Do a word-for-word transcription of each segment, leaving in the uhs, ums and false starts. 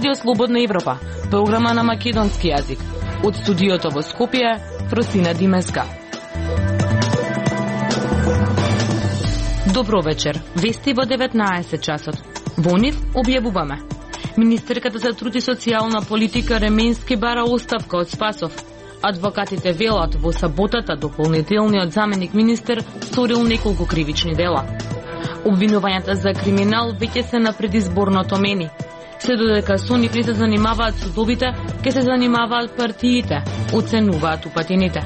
Радио Слободна Европа, програма на македонски јазик. Од студиото во Скопје, Фросина Димеска. Добро вечер. Вести во деветнаесет часот. Во нив објавуваме. Министерката за труд и социјална политика Ременски бара оставка од Спасов. Адвокатите велат во саботата дополнителниот заменик министер сторил неколку кривични дела. Обвинувањата за криминал веќе се на предизборното мени. Се додека со нив не се занимаваат судовите, ке се занимаваат партиите, оценуваат упатените.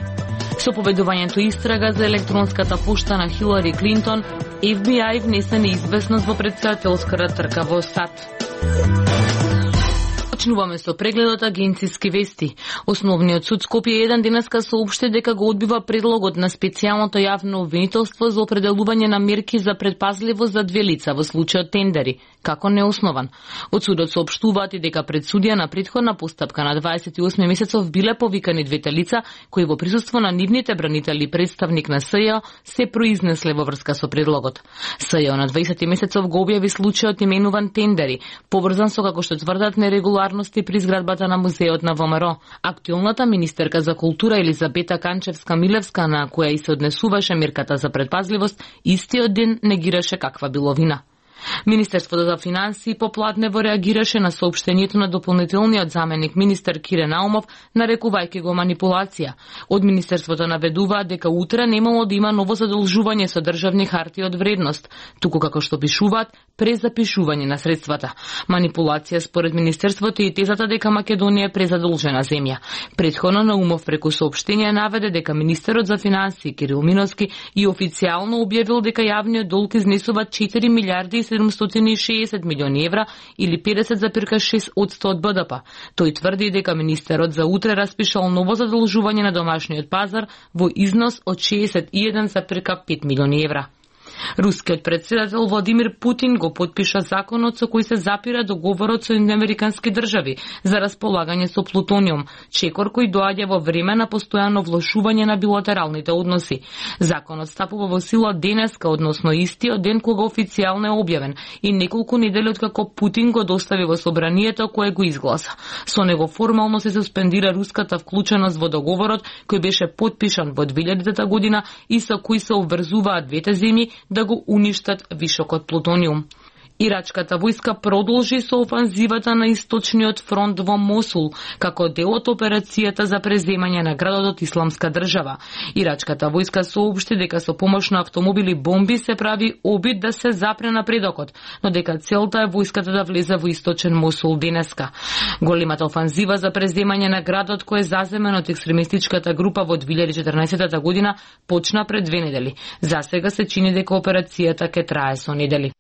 Со поведувањето истрага за електронската пошта на Хилари Клинтон, Еф Би Ај внесе неизвестност во претседателската трка во САД. Почнуваме со прегледот агенциски вести. Основниот суд Скопје еден денеска соопшти дека го одбива предлогот на специјалното јавно обвинителство за определување на мерки за предпазливост за две лица во случајот тендери, како неоснован. Од судот соопштуваат и дека пред судија на претходна постапка на дваесет и осми месецов биле повикани двете лица кои во присуство на нивните бранители представник на С Ј се произнесле во врска со предлогот. С Ј на дваесети месецов го објави случајот именуван тендери, поврзан со, како што тврдат, нерегуларности при зградбата на музеот на Во М Р. Актуелната министерка за култура Елизабета Канчевска-Милевска, на која и се однесуваше мерката за предпазливост, истиот ден негираше каква било вина. Министерството за финансии поплатнево реагираше на соопштението на дополнителниот заменик министер Кире Наумов, нарекувајќи го манипулација. Од Министерството наведуваат дека утре немало да има ново задолжување со државни хартии од вредност, туку како што пишуваат, презапишување на средствата. Манипулација според Министерството и тезата дека Македонија е презадолжена земја. Претходно Наумов преку соопштение наведе дека министерот за финансии Кирил Миновски и официјално објавил дека јавниот долг изнесува четири милијарди и седумстотини и шеесет милиони евра или педесет зарез шест одсто од Б Д П. Тој тврди дека министерот за утре распишал ново задолжување на домашниот пазар во износ од шеесет и еден зарез пет милиони евра. Рускиот председател Владимир Путин го потпиша законот со кој се запира договорот со американски држави за располагање со плутониум, чекор кој доаѓа во време на постојано влошување на билатералните односи. Законот стапува во сила денеска, односно истиот ден кога официјално е објавен и неколку недели откако Путин го достави во собранието кое го изгласа. Со него формално се суспендира руската вклученост во договорот кој беше потпишан во две илјадата година и со кој се обврзуваат двете земји да го уништат вишокот плутониум. Ирачката војска продолжи со офанзивата на источниот фронт во Мосул, како дел од операцијата за преземање на градот од Исламска држава. Ирачката војска соопшти дека со помош на автомобили бомби се прави обид да се запре напредокот, но дека целта е војската да влезе во источен Мосул денеска. Големата офанзива за преземање на градот кој е заземен од екстремистичката група во две илјади и четрнаесетта година почна пред две недели. Засега се чини дека операцијата ќе трае со недели.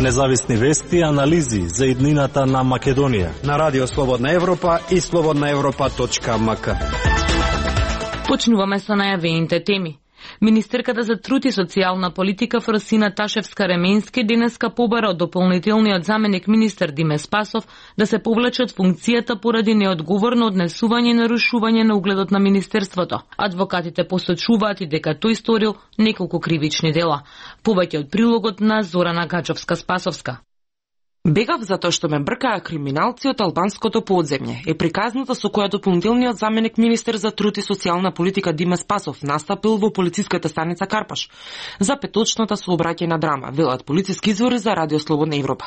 Независни вести и анализи за иднината на Македонија на Радио Слободна Европа и слободна европа точка ем ка. Почнуваме со најавените теми. Министерката за труд и социјална политика Фросина Ташевска-Ременски денеска побара од дополнителниот заменик министер Диме Спасов да се повлече од функцијата поради неодговорно однесување и нарушување на угледот на министерството. Адвокатите посочуваат и дека тој сторил неколку кривични дела. Повеќе од прилогот на Зорана Гаџовска-Спасовска. Бегав затоа што ме бркаа криминалци од албанското подземје, е приказната со која дополнителниот заменик министер за труд и социјална политика Диме Спасов настапил во полициската станица Карпаш за петочната сообраќајна драма, велат полициски извори за Радио Слободна Европа.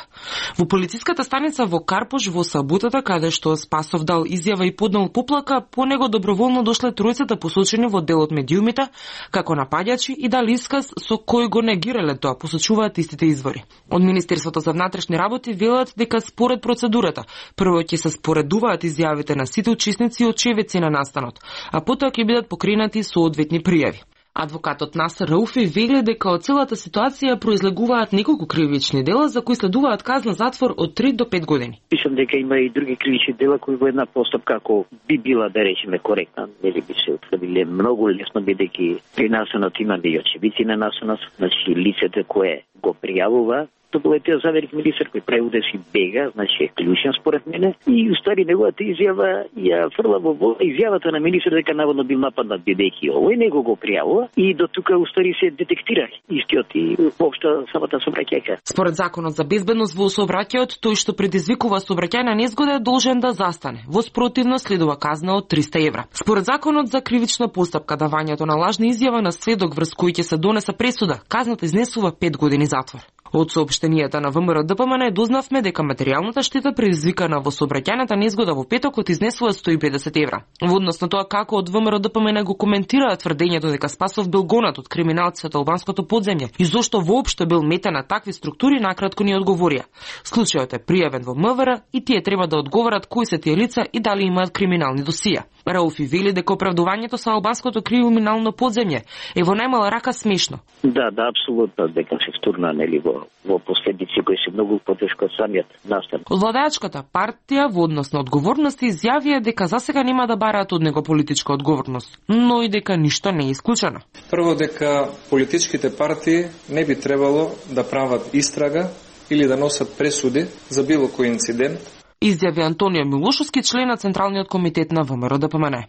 Во полициската станица во Карпаш во саботата, каде што Спасов дал изјава и поднал поплака, по него доброволно дошле тројцата посочени во делот медиумите како напаѓачи и дали исказ со кој го негирале тоа, посочуваат истите извори. Од Министерството за внатрешни работи велат дека според процедурата прво ќе се споредуваат изјавите на сите учесници и очевидци на настанот, а потоа ќе бидат покренати соодветни пријави. Адвокатот Насер Рауфи вели дека од целата ситуација произлегуваат неколку кривични дела за кои следуваат казна затвор од три до пет години. Мислам дека има и други кривични дела кои во една постапка, ако би била, да речеме, коректна, нели би се утврдиле многу лесно, бидејќи при насанот има и очевидци на насанот, значи лицето кое го пријавува, тополетиот заверик министер кој прави удеси бега, значи е клучен според мене, и устари неговата изјава ја фрла во вода изјавата на министер дека наводно бил нападнат бидејќи овој него го пријавува и до тука устари се детектира истиот и воопшто самата сообраќајка. Според законот за безбедност во сообраќајот, тој што предизвикува сообраќајна незгода е должен да застане. Во спротивно следува казна од триста евра. Според законот за кривична постапка, давањето на лажна изјава на сведок врз кој ќе се донесе пресуда, казната изнесува пет години затвор. Од соопштенијата на ВМРО-ДПМН дознавме дека материјалната штета предизвикана во сообраќајната незгода во петокот изнесува сто и педесет евра. Во однос на тоа како од ВМРО-ДПМН го коментираа тврдењето дека Спасов бил гонат од криминалци од албанското подземје и зошто воопшто бил метен на такви структури, накратко ни одговорија. Случајот е пријавен во МВР и тие треба да одговорат кои се тие лица и дали имаат криминални досија. Рауфи вели дека оправдувањето со албанското криминално подземје е во најмала рака смешно. Да, да, апсолутно, дека се втурна нели во во последици кои се многу потешко од самиот настан. Владеачката партија во однос на одговорности изјавија дека засега нема да бараат од него политичка одговорност, но и дека ништо не е исклучено. Прво дека политичките партии не би требало да прават истрага или да носат пресуди за било кој инцидент, изјави Антонио Милошовски, член на Централниот комитет на ВМРО-ДПМН.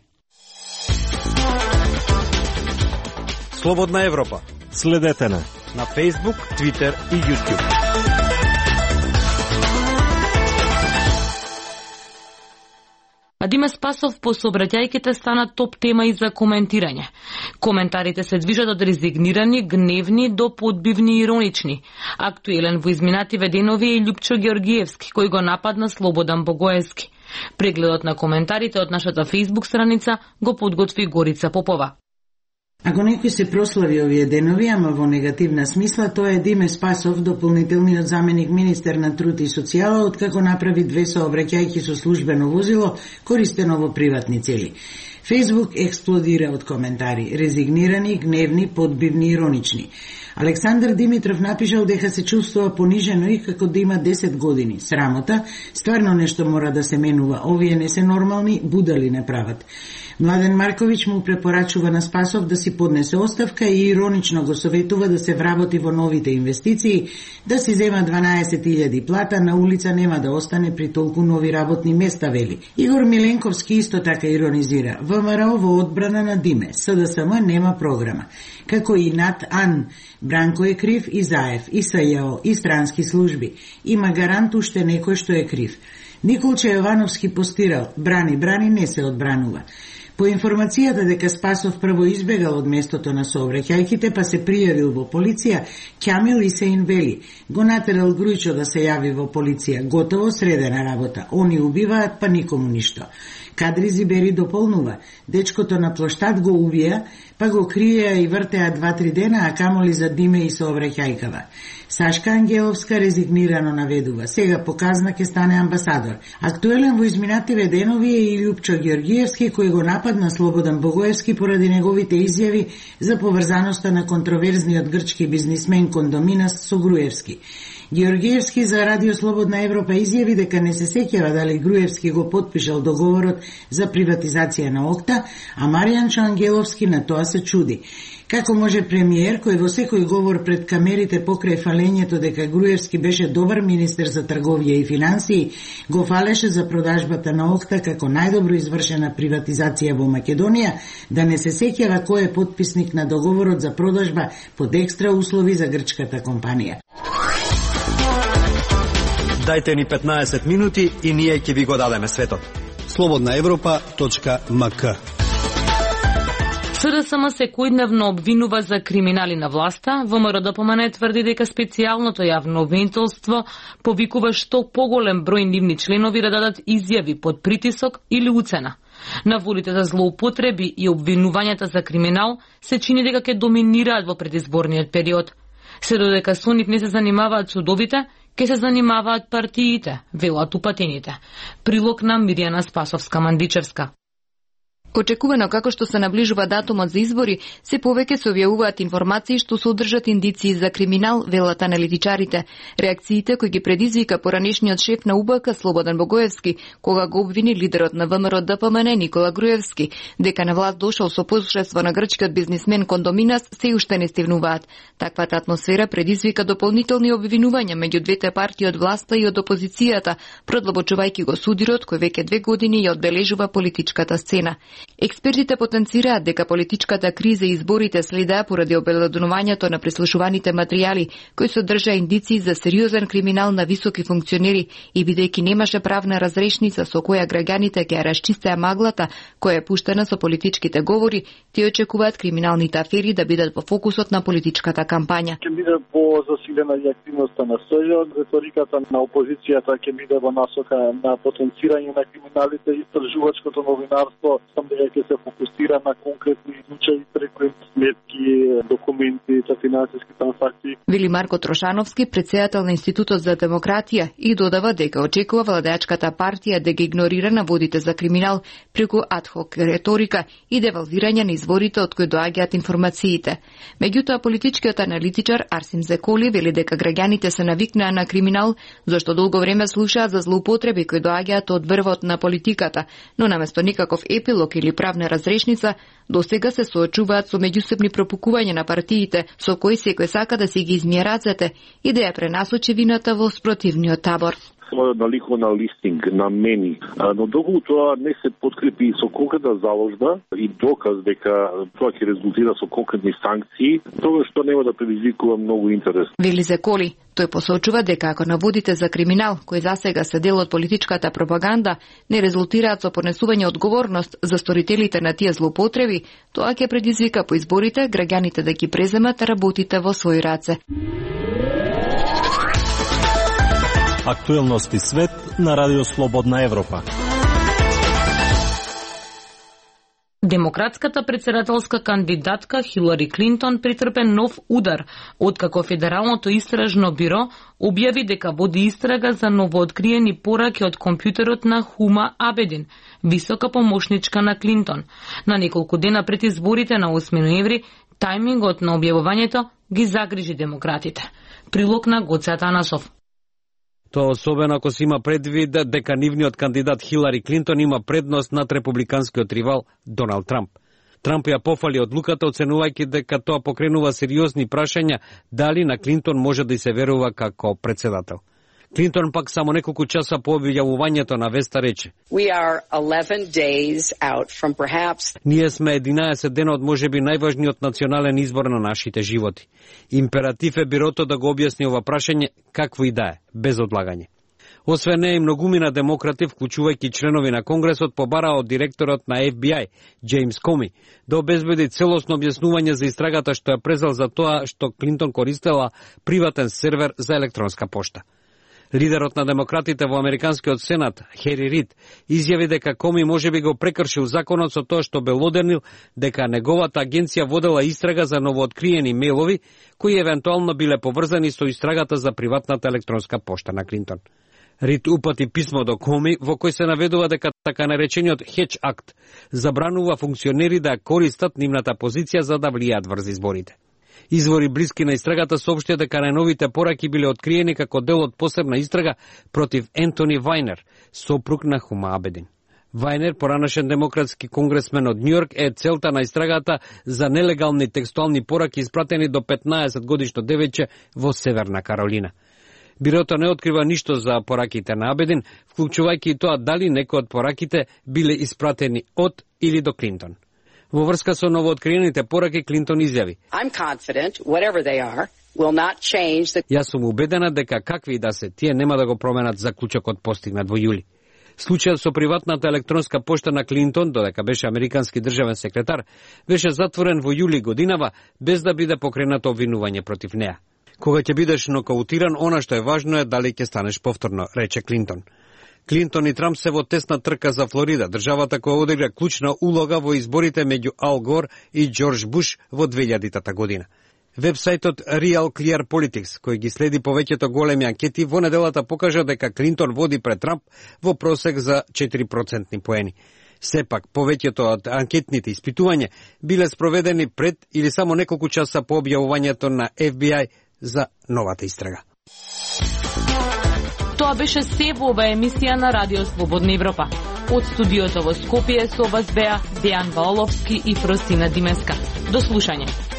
Слободна Европа. Следете на на Facebook, Twitter и YouTube. А Диме Спасов по сообраќајките стана топ тема и за коментирање. Коментарите се движат од резигнирани, гневни до подбивни и иронични. Актуелен во изминативе денови е Љупчо Георгиевски, кој го нападна Слободан Богоевски. Прегледот на коментарите од нашата Facebook страница го подготви Горица Попова. Ако некој се прослави овие денови, ама во негативна смисла, тоа е Диме Спасов, дополнителниот заменик министер на труд и социјала, откако направи две сообраќајки со службено возило, користено во приватни цели. Фејсбук експлодира од коментари, резигнирани, гневни, подбивни, иронични. Александар Димитров напишал дека се чувствува понижено и како да има десет години. Срамота, стварно нешто мора да се менува. Овие не се нормални, будали не прават. Младен Марковиќ му препорачува на Спасов да си поднесе оставка и иронично го советува да се вработи во новите инвестиции, да си зема дванаесет илјади плата, на улица нема да остане при толку нови работни места, вели. Игор Миленковски исто така иронизира. ВМРО во одбрана на Диме, СДСМ нема програма. Како и НАТ АН, Бранко е крив и Заев, и СЈО, и странски служби. Има гарант уште некој што е крив. Николче Јовановски постирал, брани, брани, не се одбранува. По информацијата дека Спасов прво избегал од местото на сообраќајките, па се пријавил во полиција, Ќамил Исеин вели, го натерал Грујчо да се јави во полиција, готово средена работа, они убиваат, па никому ништо. Кадри Зибери дополнува, дечкото на плоштад го убија, па го криеа и вртеа два-три дена, а камоли за Диме и сообраќајкава. Сашка Ангеловска резигнирано наведува, сега показна ке стане амбасадор. Актуелен во изминативе денови е и Љупчо Георгиевски, кој го нападна Слободан Богоевски поради неговите изјави за поврзаноста на контроверзниот грчки бизнисмен Кондоминас со Груевски. Георгиевски за Радио Слободна Европа изјави дека не се сеќава дали Груевски го потпишал договорот за приватизација на Окта, а Маријанчо Ангеловски на тоа се чуди. Како може премиер, кој во секој говор пред камерите покрај фалењето дека Груевски беше добар министер за трговија и финансии, го фалеше за продажбата на Окта како најдобро извршена приватизација во Македонија, да не се сеќава кој е потписник на договорот за продажба под екстра услови за грчката компанија. Дајте ни петнаесет минути и ние ќе ви го дадеме светот. слободна европа точка ем ка. СДСМ секојдневно обвинува за криминали на власта. ВМРО-ДПМН тврди дека специјалното јавно обвинителство повикува што поголем број нивни членови да дадат изјави под притисок или уцена. Наводите за злоупотреби и обвинувањата за криминал се чини дека ќе доминираат во предизборниот период. Се додека со нив не се занимаваат судовите, ке се занимаваат партиите, велат упатените. Прилог на Мирјана Спасовска-Мандичевска. Очекувано како што се наближува датумот за избори, се повеќе се објавуваат информации што содржат индиции за криминал, велат аналитичарите. Реакциите кои ги предизвика поранешниот шеф на У Б К Слободан Богоевски, кога го обвини лидерот на В М Р Д П М Н Никола Груевски, дека на власт дошол со посредство на грчкиот бизнисмен Кондоминас, се уште не стивнуваат. Таквата атмосфера предизвика дополнителни обвинувања меѓу двете партии од власта и од опозицијата, продлабочувајќи го судирот кој веќе две години ја одбележува политичката сцена. Експертите потенцираат дека политичката криза и изборите следаа поради обелоденувањето на преслушуваните материјали, кои содржаа индиции за сериозен криминал на високи функционери и бидејќи немаше правна разрешница со која граѓаните ќе ја расчистеа маглата која е пуштена со политичките говори, тие очекуваат криминалните афери да бидат во фокусот на политичката кампања. Ќе биде по-засилена и активноста на СЈО, реториката на опозицијата ќе биде во насока на потенцирање на криминалите и истражувачкото новинарство, дека ќе се фокусира на конкретни случаи преку сметки, документи, финансиски трансакции. Вели Марко Трошановски, председател на Институтот за демократија, и додава дека очекува владеачката партија да ги игнорира наводите за криминал преку адхок реторика и девалвирање на изворите од кои доаѓаат информациите. Меѓутоа, политичкиот аналитичар Арсим Зеколи вели дека граѓаните се навикнаа на криминал, зашто долго време слушаат за злоупотреби кои доаѓаат од врвот на политиката, но наместо никаков епилог или правна разрешница, досега се соочуваат со меѓусебни пропукувања на партиите, со кои секој сака да си ги измие рацете и да ја пренасочи вината во спротивниот табор. На лихвена листинг на мени, но доколку тоа не се подкрепи со конкретна заложба и доказ дека тоа ќе резултира со конкретни санкции, тоа што нема да предизвикува многу интерес. Вели Зеколи, тој посочува дека ако наводите за криминал, кои засега се дел од политичката пропаганда, не резултираат со понесување одговорност за сторителите на тие злоупотреби, тоа ќе предизвика по изборите граѓаните да ги преземат работите во своји раце. Актуелности свет на Радио Слободна Европа. Демократската председателска кандидатка Хилари Клинтон претрпе нов удар, откако Федералното истражно биро објави дека води истрага за новооткриени пораки од компјутерот на Хума Абедин, висока помошничка на Клинтон. На неколку дена пред изборите на осми ноември, тајмингот на објавувањето ги загрижи демократите. Прилог на Гоце Атанасов. Тоа особено ако се има предвид дека нивниот кандидат Хилари Клинтон има предност над републиканскиот ривал Доналд Трамп. Трамп ја пофали одлуката, оценувајќи дека тоа покренува сериозни прашања дали на Клинтон може да се верува како председател. Клинтон пак само неколку часа по објавувањето на веста рече: We are eleven days out from perhaps... Ние сме единаесет дена од можеби најважниот национален избор на нашите животи. Императив е бирото да го објасни ова прашање какво и да е, без одлагање. Освен неа и многумина демократи, вклучувајќи членови на Конгресот, побараа од директорот на Ф Б И, Джеймс Коми, да обезбеди целосно објаснување за истрагата што ја презел за тоа што Клинтон користела приватен сервер за електронска пошта. Лидерот на демократите во Американскиот сенат, Хери Рид, изјави дека Коми можеби го прекршил законот со тоа што белодернил дека неговата агенција водела истрага за новооткриени мејлови кои евентуално биле поврзани со истрагата за приватната електронска пошта на Клинтон. Рид упати писмо до Коми во кој се наведува дека така наречениот Хедж акт забранува функционери да користат нивната позиција за да влијаат врз изборите. Извори блиски на истрагата соопштија дека најновите пораки биле откриени како дел од посебна истрага против Ентони Вајнер, сопруг на Хума Абедин. Вајнер, поранашен демократски конгресмен од Њујорк, е целта на истрагата за нелегални текстуални пораки испратени до петнаесет годишно девојче во Северна Каролина. Бирото не открива ништо за пораките на Абедин, вклучувајќи и тоа дали некои од пораките биле испратени од или до Клинтон. Во врска со новооткриените пораки, Клинтон изјави: I'm confident, whatever they are, will not change the... Јас сум убедена дека какви и да се, тие нема да го променат заклучокот постигнат во јули. Случајот со приватната електронска пошта на Клинтон, додека беше американски државен секретар, беше затворен во јули годинава без да биде покренато обвинување против неа. Кога ќе бидеш нокаутиран, она што е важно е дали ќе станеш повторно, рече Клинтон. Клинтон и Трамп се во тесна трка за Флорида, државата која одигра клучна улога во изборите меѓу Ал Гор и Џорџ Буш во двејадитата година. Вебсајтот Real Clear Politics, кој ги следи повеќето големи анкети, во неделата покажа дека Клинтон води пред Трамп во просек за четири процентни поени. Сепак, повеќето од анкетните испитувања биле спроведени пред или само неколку часа по објавувањето на Еф Би Ај за новата истрага. Тоа беше се во ова емисија на Радио Слободна Европа. Од студиото во Скопје со вас беа Дејан Ваоловски и Фросина Димеска. До слушање.